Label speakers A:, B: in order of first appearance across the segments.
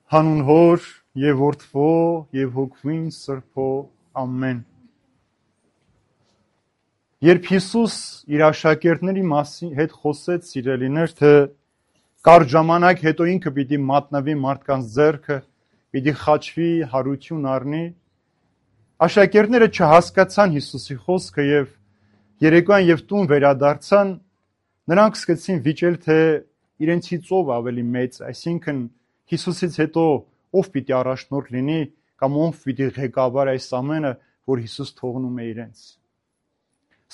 A: Հանուն Հոր եւ Որդվո եւ Հոգվին Սրբո ամեն։ Երբ Հիսուս իր աշակերտների հետ խոսեց, սիրելիներ, թե կարճ ժամանակ հետո ինքը պիտի մատնվի մարդկանց ձեռքը, պիտի խաչվի, հարություն առնի, աշակերտները չհասկացան Հիսուսի խոսքը եւ երեկոյան եւ տուն վերադարձան, նրանք սկսեցին վիճել, թե իրենցից ով ավելի մեծ, այսինքն Հիսուսից հետո ով պիտի առաջնորդ լինի կամ ով պիտի ղեկավար այս ամենը, որ Հիսուս թողնում է իրենց։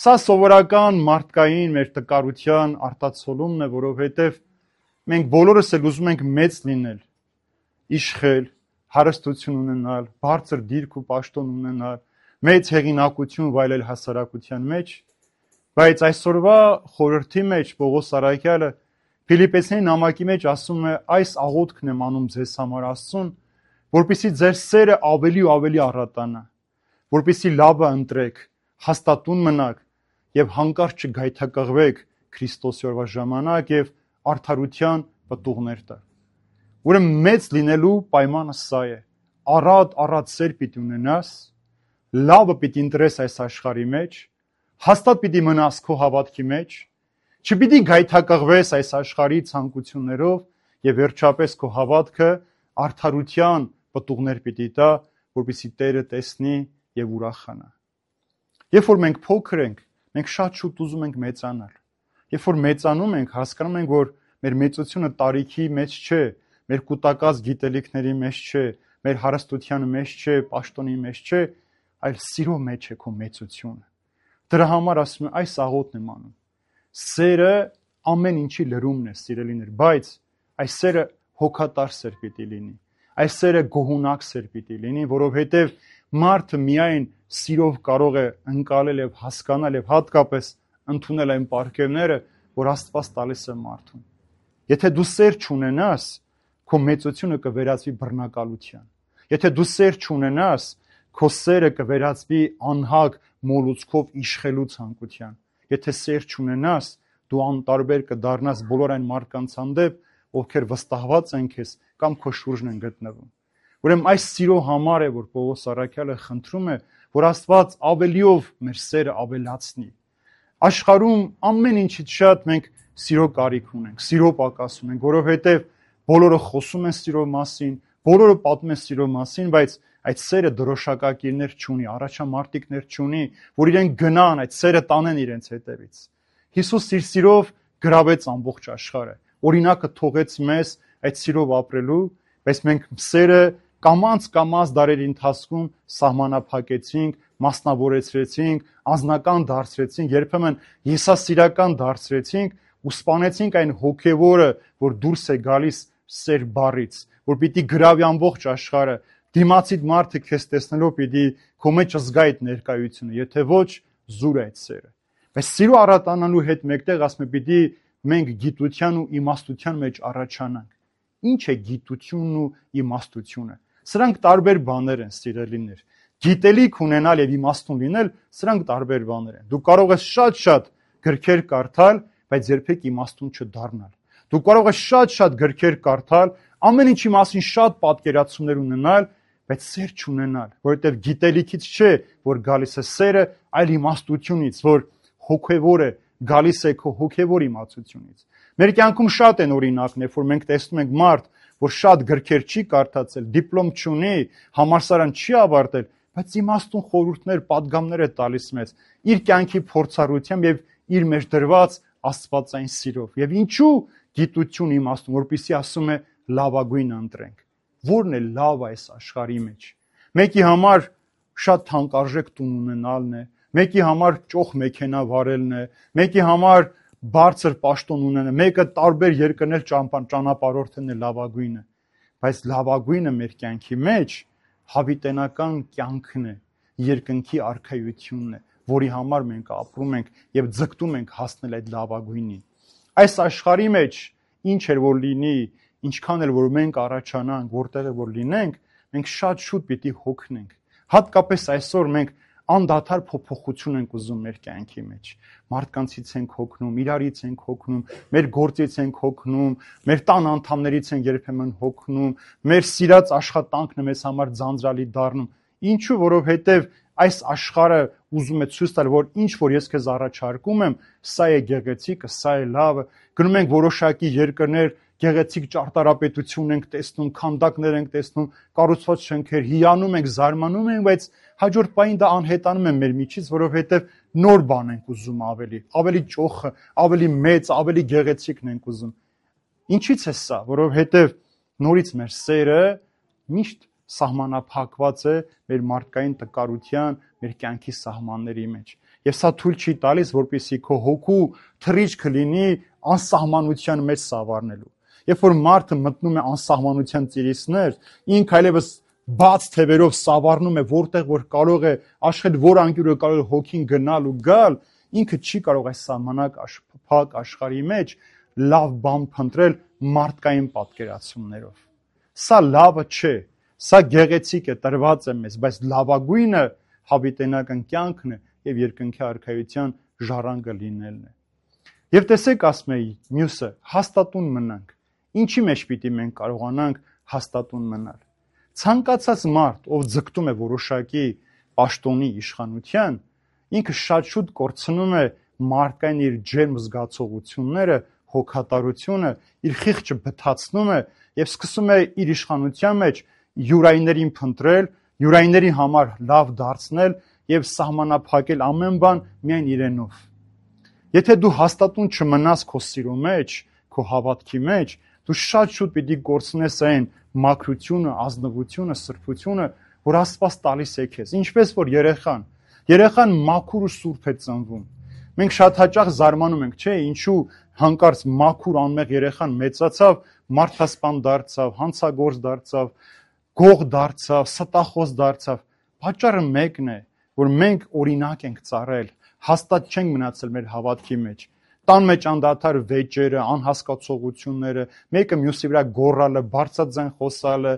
A: Սա սովորական մարդկային մեր տկարության արտացոլումն է, որովհետև մենք բոլորս էլ ուզում ենք մեծ լինել, իշխել, հարստություն ունենալ, բարձր դիրք ու պաշտոն ունենալ, մեծ հեղինակություն վայելել հասարակության մեջ, բայց այսօրվա խորհրդի մեջ Պողոս առաքյալը Փիլիպպեցիների նամակի մեջ ասում է, այս աղոթքն եմ անում ձեզ համար Աստծուն, որպեսզի ձեր սերը ավելի ու ավելի առատանա, որպեսզի լավը ընտրեք, հաստատուն մնաք եւ հանկարծ չգայթակղվեք Քրիստոսի օրվա ժամանակ եւ արդարության պտուղներ տալ։ Ուրեմն մեծ լինելու պայմանը սա է. առատ սեր պիտի ունենաս, լավը պիտի ընտրես այս աշխարհի մեջ, հաստատ պիտի մնաս քո հավատքի մեջ, չպիտի գայթակղվես այս աշխարհի ցանկություններով եւ վերջապես քո հավատքը արդարության պտուղներ պիտի տա, որպեսզի Տերը տեսնի եւ ուրախանա։ Երբ որ մենք փոքր ենք, մենք շատ շուտ ուզում ենք մեծանալ։ Երբ որ մեծանում ենք, հասկանում ենք, որ մեր մեծությունը տարիքի մեջ չէ, մեր կուտակած գիտելիքների մեջ չէ, մեր հարստության մեջ չէ, պաշտոնի մեջ չէ, այլ սիրո մեջ է քո մեծությունը։ Դրա համար ասում եմ, այս աղոթն եմ անում։ Սերը ամեն ինչի լրումն է, սիրելիներ, բայց այս սերը հոգատար սեր պիտի լինի։ Այս սերը գոհունակ սեր պիտի լինի, որովհետև մարդը միայն սիրով կարող է ընկալել եւ հասկանալ եւ հատկապես ընդունել այն պարգևները, որ Աստված տալիս է մարդուն։ Եթե դու սեր չունենաս, քո մեծությունը կվերածվի բռնակալության։ Եթե դու սեր չունենաս, քո սերը կվերածվի անհագ մոլուցքով իշխելու ցանկության։ Եթե սեր չունենաս, դու անտարբեր կդառնաս բոլոր այն մարդկանց հանդեպ, ովքեր վստահված են քեզ կամ քո շուրջն են գտնվում։ Ուրեմն այս սիրո համար է, որ Պողոս առաքյալը խնդրում է, որ Աստված ավելիով մեր սերը ավելացնի։ Աշխարհում ամեն ինչից շատ մենք սիրո կարիք ունենք, սիրո պակաս ունենք, որովհետև բոլորը խոսում են սիրո մասին, բոլորը պատմում են սիրո մասին, բայց այդ սերը դրոշակակիրներ չունի, առաջամարտիկներ չունի, որ իրենք գնան, այդ սերը տանեն իրենց հետևից։ Հիսուս իր սիրով գրավեց ամբողջ աշխարհը, օրինակը թողեց մեզ այդ սիրով ապրելու, բայց մենք սերը կամաց դարերի ընթացքում սահմանափակեցինք, մասնավորեցրեցինք, անձնական դարձրեցինք, երբեմն եսասիրական դարձրեցինք ու սպանեցինք այն հոգևորը, որ դուրս է գալիս սեր բառից, որ պիտի գրավի ամբողջ աշխարհը, դիմացիդ մարդը քեզ տեսնելով պիտի քո մեջ զգա այդ ներկայությունը, եթե ոչ զուր այդ սերը։ Բայց սիրո առատանալու հետ մեկտեղ ասում է պիտի մենք գիտության ու իմաստության մեջ առաջանանք։ Ինչ է գիտությունն ու իմաստությունը։ Սրանք տարբեր բաներ են, սիրելիներ։ Գիտելիք ունենալ եւ իմաստուն լինել, սրանք տարբեր բաներ են։ Դու կարող ես շատ գրքեր կարդալ, բայց երբեք իմաստուն չդառնալ։ Դու կարող ես շատ գրքեր կարդալ, ամեն ինչի մասին շատ պատկերացումներ ունենալ, բայց սեր չունենալ, որովհետև գիտելիքից չէ, որ գալիս է սերը, այլ իմաստությունից, որ հոգևոր է, գալիս է քո հոգևոր իմացությունից։ Մեր կյանքում շատ են օրինակներ, որ մենք տեսնում ենք մարդ, որ շատ գրքեր չի կարդացել, դիպլոմ չունի, համալսարան չի ավարտել, բայց իմաստուն խորհուրդներ, պատգամներ է տալիս մեզ իր կյանքի փորձառությամբ եւ իր մեջ դրված աստվածային սիրով։ Եվ ինչու գիտություն իմաստուն, որպեսզի ասում է լավագույնը ընտրենք։ Որն է լավ այս աշխարհի մեջ։ Մեկի համար շատ թանկարժեք տուն ունենալն է, մեկի համար ճոխ մեքենա վարելն է, մեկի համար բարձր պաշտոն ունենալը, մեկը տարբեր երկրներ ճանապարհորդելն է լավագույնը, բայց լավագույնը մեր կյանքի մեջ հավիտենական կյանքն է, երկնքի արքայությունն է, որի համար մենք ապրում ենք եւ ձգտում ենք հասնել այդ լավագույնին։ Այս աշխարհի մեջ ինչ էր որ լինի, ինչքան էլ որ մենք առաջանանք, որտեղ որ լինենք, մենք շատ շուտ պիտի հոգնենք։ Հատկապես այսօր մենք անդադար փոփոխություն ենք ուզում մեր կյանքի մեջ։ Մարդկանցից ենք հոգնում, իրարից ենք հոգնում, մեր գործից ենք հոգնում, մեր տան անդամներից են երբեմն հոգնում, մեր սիրած աշխատանքն է մեզ համար ձանձրալի դառնում։ Ինչու, որովհետև այս աշխարհը ուզում է ցույց տալ, որ ինչ որ ես քեզ առաջարկում եմ, սա է գեղեցիկը, սա է լավը։ Գնում ենք որոշակի երկրներ, գեղեցիկ ճարտարապետություն ենք տեսնում, քանդակներ ենք տեսնում, կառուցված շենքեր, հիանում ենք, զարմանում ենք, բայց հաջորդ պահին դա անհետանում է մեր միջից, որովհետև նոր բան ենք ուզում ավելի ճոխը, ավելի մեծ, ավելի գեղեցիկն ենք ուզում։ Ինչի՞ց է սա, որովհետև նորից մեր սերը միշտ սահմանափակված է մեր մարդկային տկարության, մեր կյանքի սահմանների մեջ։ Եվ սա թույլ չի տալիս, որպեսզի քո հոգու թռիչքը լինի անսահմանության մեջ սավառնելու։ Երբ որ մարդը մտնում է անսահմանության ծիրիսներ, ինքը այլևս բաց թևերով սավառնում է, որտեղ որ կարող է աշխել, որ անկյուրը կարող է հոգին գնալ ու գալ, ինքը չի կարող այս սահմանափակ աշխարհի մեջ լավ բան փնտրել մարդկային պատկերացումներով։ Սա լավը չէ, սա գեղեցիկ է, տրված է մեզ, բայց լավագույնը հավիտենական կյանքն է եւ երկնքի արքայության ժառանգը լինելն է։ Եվ տեսեք, ասում էի, մյուսը հաստատուն մնանք։ Ինչի մեջ պիտի մենք կարողանանք հաստատուն մնալ։ Ցանկացած մարդ, ով ձգտում է որոշակի պաշտոնի իշխանության, ինքը շատ շուտ կորցնում է մարդկային իր ջերմ զգացողությունները, հոգատարությունը, իր խիղճը բթացնում է եւ սկսում է իր իշխանության մեջ յուրայիներին փնտրել, յուրայիների համար լավ դարձնել եւ սահմանափակել ամեն բան միայն իրենով։ Եթե դու հաստատուն չմնաս քո սիրո մեջ, քո հավատքի մեջ, դու շատ շուտ պիտի կորցնես այն մաքրությունը, ազնվությունը, սրբությունը, որ Աստված տալիս է քեզ։ Ինչպես որ երեխան մաքուր ու սուրբ է ծնվում։ Մենք շատ հաճախ զարմանում ենք, չէ՞, ինչու հանկարծ մաքուր անմեղ երեխան մեծացավ, մարդասպան դարձավ, հանցագործ դարձավ, գող դարձավ, ստախոս դարձավ։ Պատճառը մեկն է, որ մենք օրինակ ենք ծառայել, հաստատ չենք մնացել մեր հավատքի մեջ։ Տան մեջ անդադար վեճերը, անհասկացողությունները, մեկը մյուսի վրա գոռալը, բարձրաձայն խոսալը,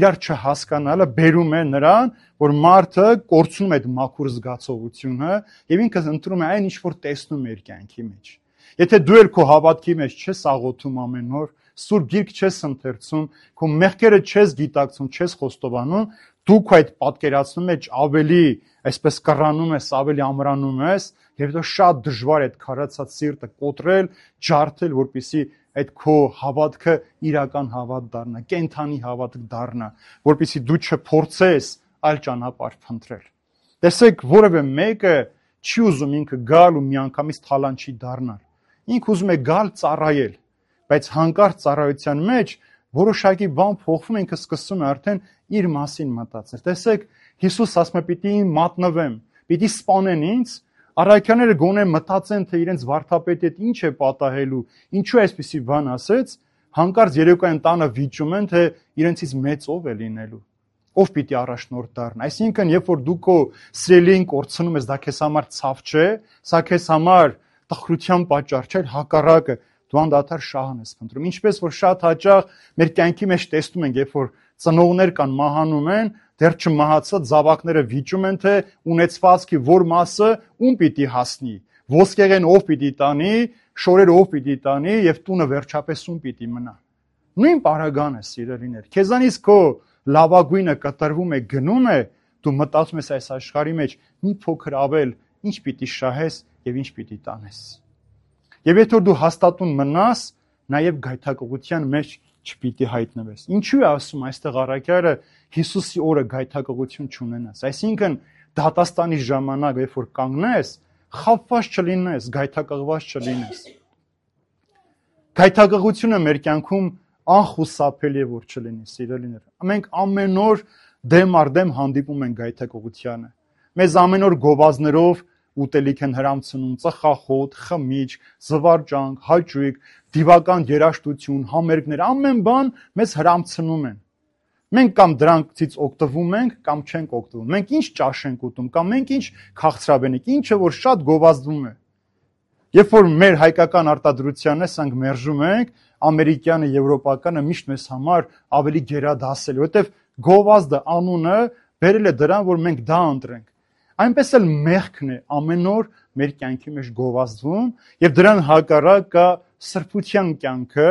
A: իրար չհասկանալը բերում է նրան, որ մարդը կորցնում է այդ մաքուր զգացողությունը եւ ինքը ընտրում է այն, ինչ որ տեսնում է իր կյանքի մեջ։ Եթե դու էլ քո հավատքի մեջ չես աղոթում ամեն օր, Սուրբ Գիրք չես ընթերցում, քո մեղքերը չես գիտակցում, չես խոստովանում, դու քո այդ պատկերացնում մեջ ավելի, այսպես կռանում ես, ավելի ամրանում ես, եւ դա շատ դժվար է այդ քարացած սիրտը կոտրել, ջարդել, որպեսզի այդ քո հավատքը իրական հավատ դառնա, կենթանի հավատ դառնա, որպեսզի դու չփորձես այլ ճանապարհ փնտրել։ Տեսեք, որևէ մեկը չի ուզում ինքը գալ ու միանգամից թալանչի դառնալ։ Ինքը ուզում է գալ ծառայել, բայց հանկարծ ծառայության մեջ որոշակի բան փոխվում, ինքը սկսում է արդեն իր մասին մտածել։ Տեսեք, Հիսուս ասում է՝ պիտի մատնվեմ, պիտի սպանեն ինձ, առաքյալները գոնե մտածեն, թե իրենց վարդապետի հետ ինչ է պատահելու, ինչու այսպիսի բան ասեց, հանկարծ երեկոյան տանը վիճում են, թե իրենցից մեծ ով է լինելու, ով պիտի առաջնորդ դառնա։ Այսինքն, երբ որ դու քո սիրելին կորցնում ես, դա քեզ համար ցավ չէ, սա քեզ համար տխրության պատճառ չէ, հակառակը, դու անդադար շահան ես փնտրում։ Ինչպես որ շատ հաճախ մեր կյանքի մեջ տեսնում ենք, երբ որ ծնողներ կան մահանում են, դեռ չմահացած զավակները վիճում են, թե ունեցվածքի որ մասը ում պիտի հասնի, ոսկեղեն ով պիտի տանի, շորերը ով պիտի տանի եւ տունը վերջապես ում պիտի մնա։ Նույն պարագան է, սիրելիներ։ Քեզանից քո լավագույնը կտրվում է, գնում է, դու մտածում ես այս աշխարհի մեջ մի փոքր ավել, ինչ պիտի շահես եւ ինչ պիտի տանես։ Եվ եթե դու հաստատուն մնաս, նաեւ գայթակղության մեջ չպիտի հայտնվես։ Ինչու է ասում այստեղ առաքյալը Հիսուսի օրը գայթակղություն չունենաս։ Այսինքն դատաստանի ժամանակ, երբ որ կանգնես, խաբված չլինես, գայթակղված չլինես։ Գայթակղությունը մեր կյանքում անխուսափելի է որ չլինի, սիրելիներ։ Մենք ամեն օր դեմ առ դեմ հանդիպում ենք գայթակղությանը։ Մեզ ամեն օր գովազներով ուտելիք են հրամցնում, ծխախոտ, խմիչք, զվարճանք, հաճույք, դիվական երաժշտություն, համերգներ, ամեն բան մեզ հրամցնում են։ Մենք կամ դրանցից օգտվում ենք, կամ չենք օգտվում։ Մենք ինչ ճաշ ենք ուտում, կամ մենք ինչ քաղցրավենիք, ինչը որ շատ գովազդվում է։ Երբ որ մեր հայկական արտադրությանն ենք մերժում ենք, ամերիկյանը, եվրոպականը միշտ մեզ համար ավելի գերադասել է, որովհետև գովազդը անունը բերել է դրան, որ մենք դա ընտրենք։ այնպես էլ մեղքն է ամեն օր մեր կյանքի մեջ գովազդվում եւ դրան հակառակ կա սրբության կյանքը,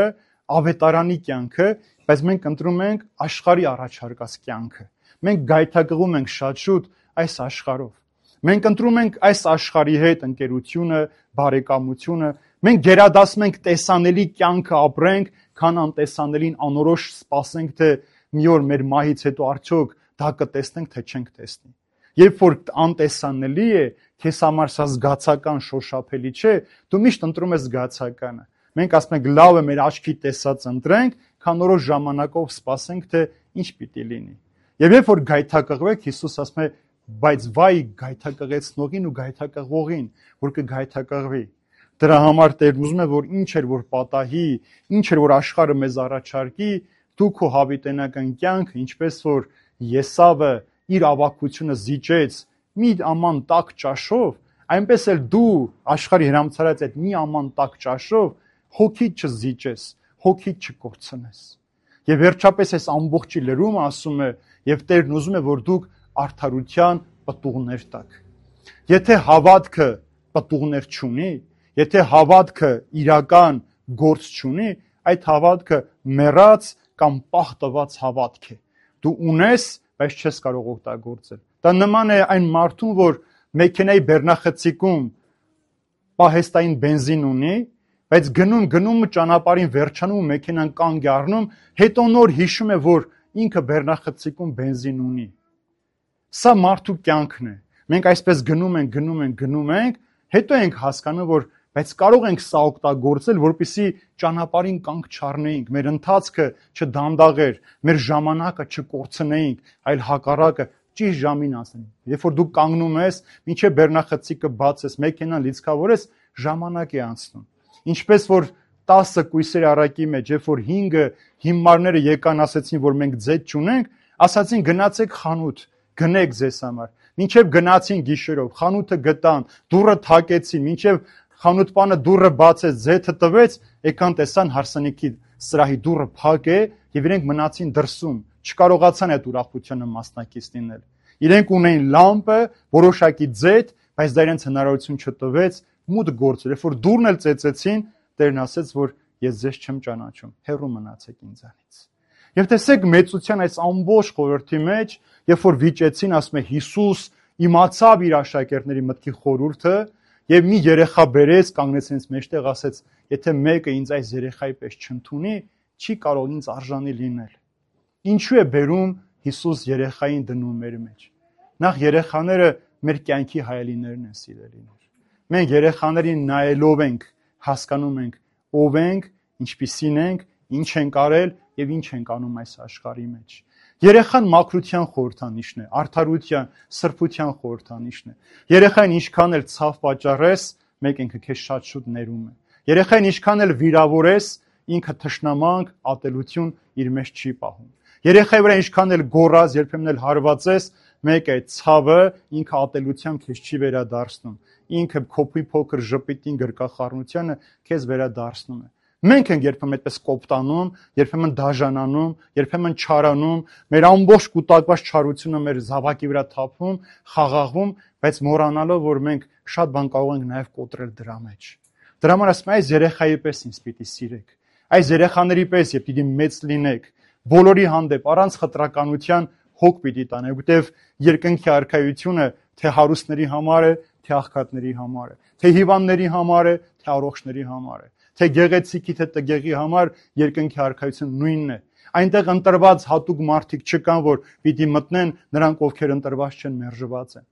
A: ավետարանի կյանքը, բայց մենք ընտրում ենք աշխարհի առաջարկած կյանքը։ Մենք գայթակղում ենք շատ շուտ այս աշխարհով։ Մենք ընտրում ենք այս աշխարհի հետ ընկերությունը, բարեկամությունը, մենք գերադասում ենք տեսանելի կյանքը ապրենք, քան անտեսանելին անորոշ սպասենք, թե մի օր մեր մահից հետո արդյոք դա կտեսնենք, թե չենք տեսնի։ Երբ որ անտեսանելի է, քեզ համար սա զգացական շոշափելի չէ, դու միշտ ընտրում ես զգացականը։ Մենք ասում ենք լավ է մեր աչքի տեսած ընտրենք, քան որոշ ժամանակով սպասենք, թե ինչ պիտի լինի։ Եվ երբ որ գայթակղվեք, Հիսուս ասում է, բայց վայ գայթակղեցնողին ու գայթակղվողին, որ կգայթակղվի։ Դրա համար Տերն ուզում է, որ ինչ էր որ պատահի, ինչ էր որ աշխարհը մեզ առաջարկի, դու քո հավիտենական կյանքը, ինչպես որ Եսավը իր ավակությունը զիջեց մի աման տաք ճաշով, այնպես էլ դու աշխարհի հրամցարած այդ մի աման տաք ճաշով հոգիդ չզիջես, հոգիդ չկորցնես։ Եվ վերջապես այս ամբողջի լրումը ասում է, եւ Տերն ուզում է, որ դուք արդարության պտուղներ տաք։ Եթե հավատքը պտուղներ չունի, եթե հավատքը իրական գործ չունի, այդ հավատքը մեռած կամ պահտված հավատք է։ Դու ունես, բայց չես կարող օգտագործել։ Դա նման է այն մարդուն, որ մեքենայի բեռնախցիկում պահեստային բենզին ունի, բայց գնում ճանապարհին վերջանում ու մեքենան կանգ է առնում, հետո նոր հիշում է, որ ինքը բեռնախցիկում բենզին ունի։ Սա մարդու կյանքն է։ Մենք այսպես գնում ենք, հետո ենք հասկանում, որ բայց կարող ենք սա օգտագործել, որպեսզի ճանապարհին կանգ չառնեինք, մեր ընթացքը չդանդաղեր, մեր ժամանակը չկորցնեինք, այլ հակառակը ճիշտ ժամին անցնենք։ Երբ որ դու կանգնում ես, մինչև բեռնախցիկը բացես, մեքենան լիցքավորես, ժամանակ է անցնում։ Ինչպես որ 10 կույսերի առակի մեջ, երբ որ 5 հիմարները եկան ասեցին, որ մենք ձետ չունենք, ասացին գնացեք խանութ, գնեք ձեզ համար։ Մինչև գնացին գիշերով, խանութը գտան, դուռը թակեցին, մինչև խանութպանը դուռը բացեց, ձեթը տվեց, եկան տեսան հարսանիքի սրահի դուռը փակ է եւ իրենք մնացին դրսում, չկարողացան այդ ուրախությունը մասնակից լինել։ Իրենք ունեին լամպը, որոշակի ձեթ, բայց դա իրենց հնարավորություն չտվեց մուտք գործել։ Երբ որ դուռն էլ ծեծեցին, Տերն ասեց, որ ես ձեզ չեմ ճանաչում, հեռու մնացեք ինձանից։ Եվ տեսեք մեծության այս ամբողջ խորհրդի մեջ, երբ որ վիճեցին, ասում է Հիսուս իմացավ իր աշակերտների մտքի խորհուրդը եւ մի երեխա բերեց, կանգնեց ինձ մեջտեղ, ասեց, եթե մեկը ինձ այս երեխայի պես չընդունի, չի կարող ինձ արժանի լինել։ Ինչու է բերում Հիսուս երեխային դնում մեր մեջ։ Նախ երեխաները մեր կյանքի հայելիներն են, սիրելիներ։ Մենք երեխաներին նայելով ենք, հասկանում ենք ով ենք, ինչպիսին ենք, ինչ ենք արել եւ ինչ ենք անում այս աշխարհի մեջ։ Երեխան մաքրության խորհրդանիշն է, արդարության, սրբության խորհրդանիշն է։ Երեխային ինչքան էլ ցավ պատճառես, մեկ ինքը քեզ շատ շուտ ներում է։ Երեխային ինչքան էլ վիրավորես, ինքը թշնամանք, ատելություն իր մեջ չի պահում։ Երեխայի վրա ինչքան էլ գոռաս, երբեմն էլ հարվածես, մեկ է ցավը ինքը ատելությամբ քեզ չի վերադարձնում։ Ինքը քոփի փոքր ժպիտին գրկախառնությանը քեզ վերադարձնում է։ Մենք ենք երբեմն այդպես կոպտանում, երբեմն դաժանանում, երբեմն չարանում, մեր ամբողջ կուտակված չարությունը մեր զավակի վրա թափում, խաղաղվում, բայց մոռանալով, որ մենք շատ բան կարող ենք նաև կոտրել դրա մեջ։ Դրա համար ասում եմ, այս երեխայի պես ինձ պիտի սիրեք։ Այս երեխաների պես եւ պիտի մեծ լինեք։ Բոլորի հանդեպ առանց խտրականության հոգ պիտի տանեք, որտեվ երկնքի արքայությունը թե հարուստների համար է, թե աղքատների համար է, թե հիվանդների համար է, թե առողջների համար է, թե գեղեցիկի, թե տգեղի համար երկնքի արքայությունը նույնն է։ Այնտեղ ընտրված հատուկ մարդիկ չկան, որ պիտի մտնեն, նրանք ովքեր ընտրված չեն, մերժված են։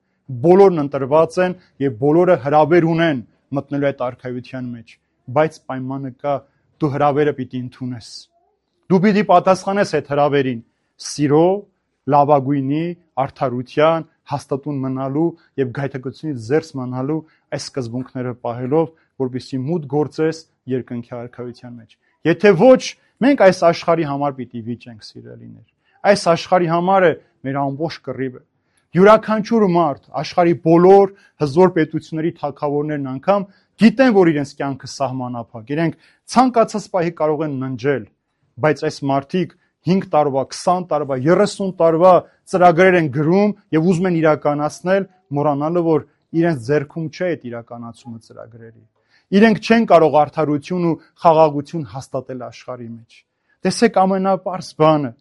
A: Բոլորն ընտրված են եւ բոլորը հրավեր ունեն մտնելու այդ արքայության մեջ, բայց պայմանը կա, դու հրավերը պիտի ընդունես։ Դու պիտի պատասխանես այդ հրավերին սիրո, լավագույնի, արդարության, հաստատուն մնալու եւ գայթակղությունից զերծ մնալու այս սկզբունքները պահելով, որպեսզի մուտք գործես երկնքի արքայության մեջ։ Եթե ոչ, մենք այս աշխարհի համար պիտի վիճենք, սիրելիներ։ Այս աշխարհի համար է մեր ամբողջ կռիվը։ Յուրաքանչյուր մարդ, աշխարհի բոլոր հզոր պետությունների թագավորներն անգամ գիտեն, որ իրենց կյանքը սահմանափակ, իրենք ցանկացած պահի կարող են ննջել, բայց այս մարդիկ 5 տարվա, 20 տարվա, 30 տարվա ծրագրեր են գրում եւ ուզում են իրականացնել, մոռանալը, որ իրենց ձեռքում չէ այդ իրականացումը ծրագրերի։ Իրենք չեն կարող արդարություն ու խաղաղություն հաստատել աշխարհի մեջ։ Տեսեք ամենապարզ բանը։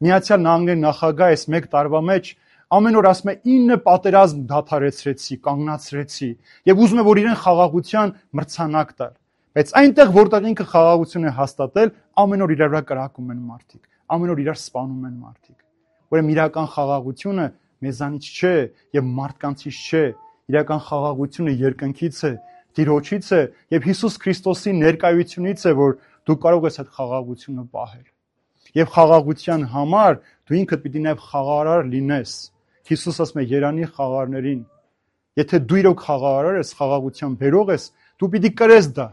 A: Միացյալ Նահանգների նախագահը այս 1 տարվա մեջ ամեն օր ասում է 9 պատերազմ դադարեցրեցի, կանգնացրեցի եւ ուզում է որ իրեն խաղաղության մրցանակ տալ։ Բայց այնտեղ որտեղ ինքը խաղաղություն է հաստատել, ամեն օր իրար վրա կրակում են մարդիկ, ամեն օր իրար սպանում են մարդիկ։ Ուրեմն իրական խաղաղությունը մեզանից չէ եւ մարդկանցից չէ, իրական խաղաղությունը երկնքից է, Տիրոջից է եւ Հիսուս Քրիստոսի ներկայությունից է, որ դու կարող ես այդ խաղաղությունը պահել։ Եվ խաղաղության համար դու ինքդ պիտի նաեւ խաղարար լինես։ Հիսուս ասում է երանի խաղարներին, եթե դու իրոք խաղարար ես, խաղաղության բերող ես, դու պիտի կրես դա։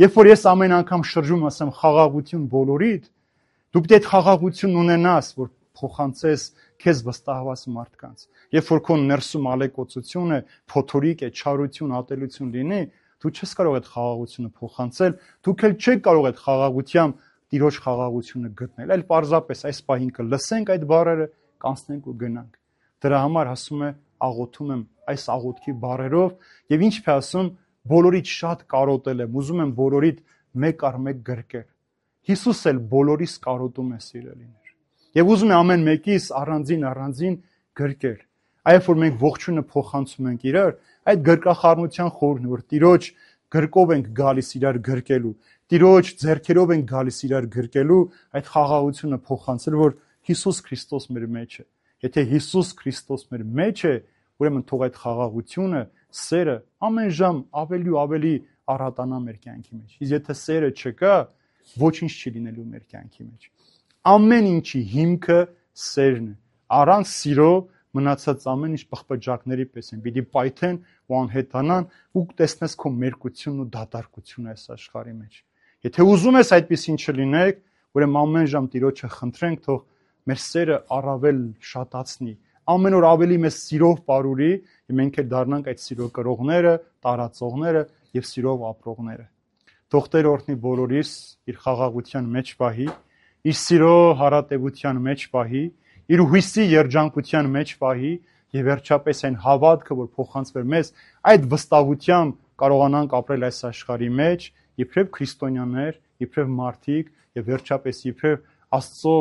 A: Երբ որ ես ամեն անգամ շրջում ասեմ խաղաղություն բոլորիդ, դու պիտի այդ խաղաղությունն ունենաս, որ փոխանցես քեզ վստահված մարդկանց։ Երբ որ քո ներսում ալեկոծություն է, փոթորիկ է, չարություն, ատելություն լինի, դու չես կարող այդ խաղաղությունը փոխանցել, դուք էլ չեք կարող այդ խաղաղությամբ Տիրոջ խաղաղությունը գտնել։ Այլ պարզապես այս պահին կլսենք այդ բառերը, կանցնենք ու գնանք։ Դրա համար ասում է աղոթում եմ այս աղոթքի բառերով եւ ինչ է ասում բոլորից շատ կարոտել եմ, ուզում եմ բոլորիդ մեկ առ մեկ գրկել։ Հիսուս էլ բոլորիս կարոտում է սիրելիներ։ Եվ ուզում է ամեն մեկիս առանձին գրկել։ Այբ որ մենք ողջունը փոխանցում ենք իրար, այդ գրկախառնության խորհուրդն որ Տիրոջ գրկով ենք գալիս իրար գրկելու, Տիրոջ ձեռքերով ենք գալիս իրար գրկելու, այդ խաղաղությունը փոխանցել, որ Հիսուս Քրիստոս մեր մեջ է։ Եթե Հիսուս Քրիստոս մեր մեջ է, ուրեմն թող այդ խաղաղությունը, սերը ամեն ժամ ավելի ու ավելի առատանա մեր կյանքի մեջ։ Իսկ եթե սերը չկա, ոչինչ չի լինելու մեր կյանքի մեջ։ Ամեն ինչի հիմքը սերն է։ Առանց սիրո մնացած ամեն ինչ պղպջակների պես են, պիտի պայթեն ու անհետանան ու տեսնես քո մերկությունն ու դատարկությունը այս աշխարհի մեջ։ Եթե ուզում ես այդպեսին չլինեք, ուրեմն ամեն ժամ Տիրոջը խնդրենք, թող մեր սերը առավել շատացնի, ամեն օր ավելի մեծ սիրով ապրուրի, եւ մենք էլ դառնանք այդ սիրո կրողները, տարածողները եւ սիրով ապրողները։ Թող Տեր օրհնի բոլորիս իր խաղաղության մեջ պահի, իր սիրո հարատեվության մեջ պահի, իր հույսի երջանկության մեջ պահի եւ վերջապես այն հավատքը, որ փոխանցվեր մեզ, այդ վստահությամբ կարողանանք ապրել այս աշխարհի մեջ, իբրև քրիստոնյաներ, իբրև մարդիկ եւ վերջապես իբրև Աստծո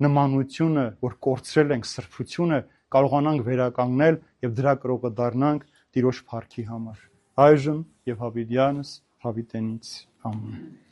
A: նմանությունը, որ կորցրել ենք սրբությունը, կարողանանք վերականգնել եւ դրա կրողը դառնանք Տիրոջ փառքի համար։ Այժմ եւ հավիտյանս հավիտենից ամեն։